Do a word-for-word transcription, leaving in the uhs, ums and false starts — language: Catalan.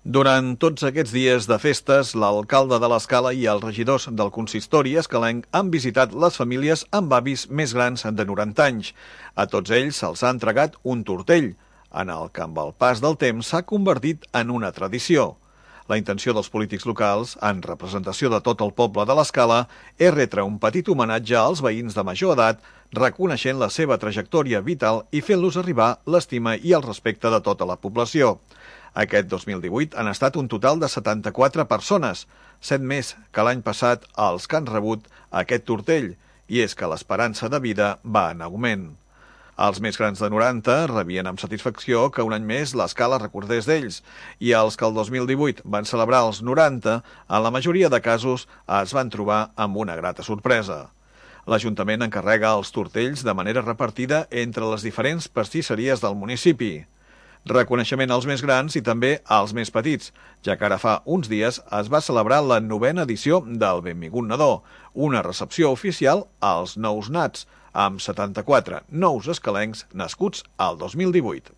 Durant tots aquests dies de festes, l'alcalde de l'Escala i els regidors del consistori escalenc han visitat les famílies amb avis més grans de noranta anys. A tots ells se'ls ha entregat un tortell, en el que amb el pas del temps s'ha convertit en una tradició. La intenció dels polítics locals, en representació de tot el poble de l'Escala, és retre un petit homenatge als veïns de major edat, reconeixent la seva trajectòria vital i fent-los arribar l'estima i el respecte de tota la població. Aquest dos mil divuit han estat un total de setanta-quatre persones, set més que l'any passat els que han rebut aquest tortell, i és que l'esperança de vida va en augment. Els més grans de noranta rebien amb satisfacció que un any més l'Escala recordés d'ells, i els que el dos mil divuit van celebrar els noranta, en la majoria de casos es van trobar amb una grata sorpresa. L'Ajuntament encarrega els tortells de manera repartida entre les diferents pastisseries del municipi. Reconeixement als més grans i també als més petits, ja que ara fa uns dies es va celebrar la novena edició del Benvingut Nadó, una recepció oficial als nous nats, amb setanta-quatre nous escalencs nascuts al dos mil divuit.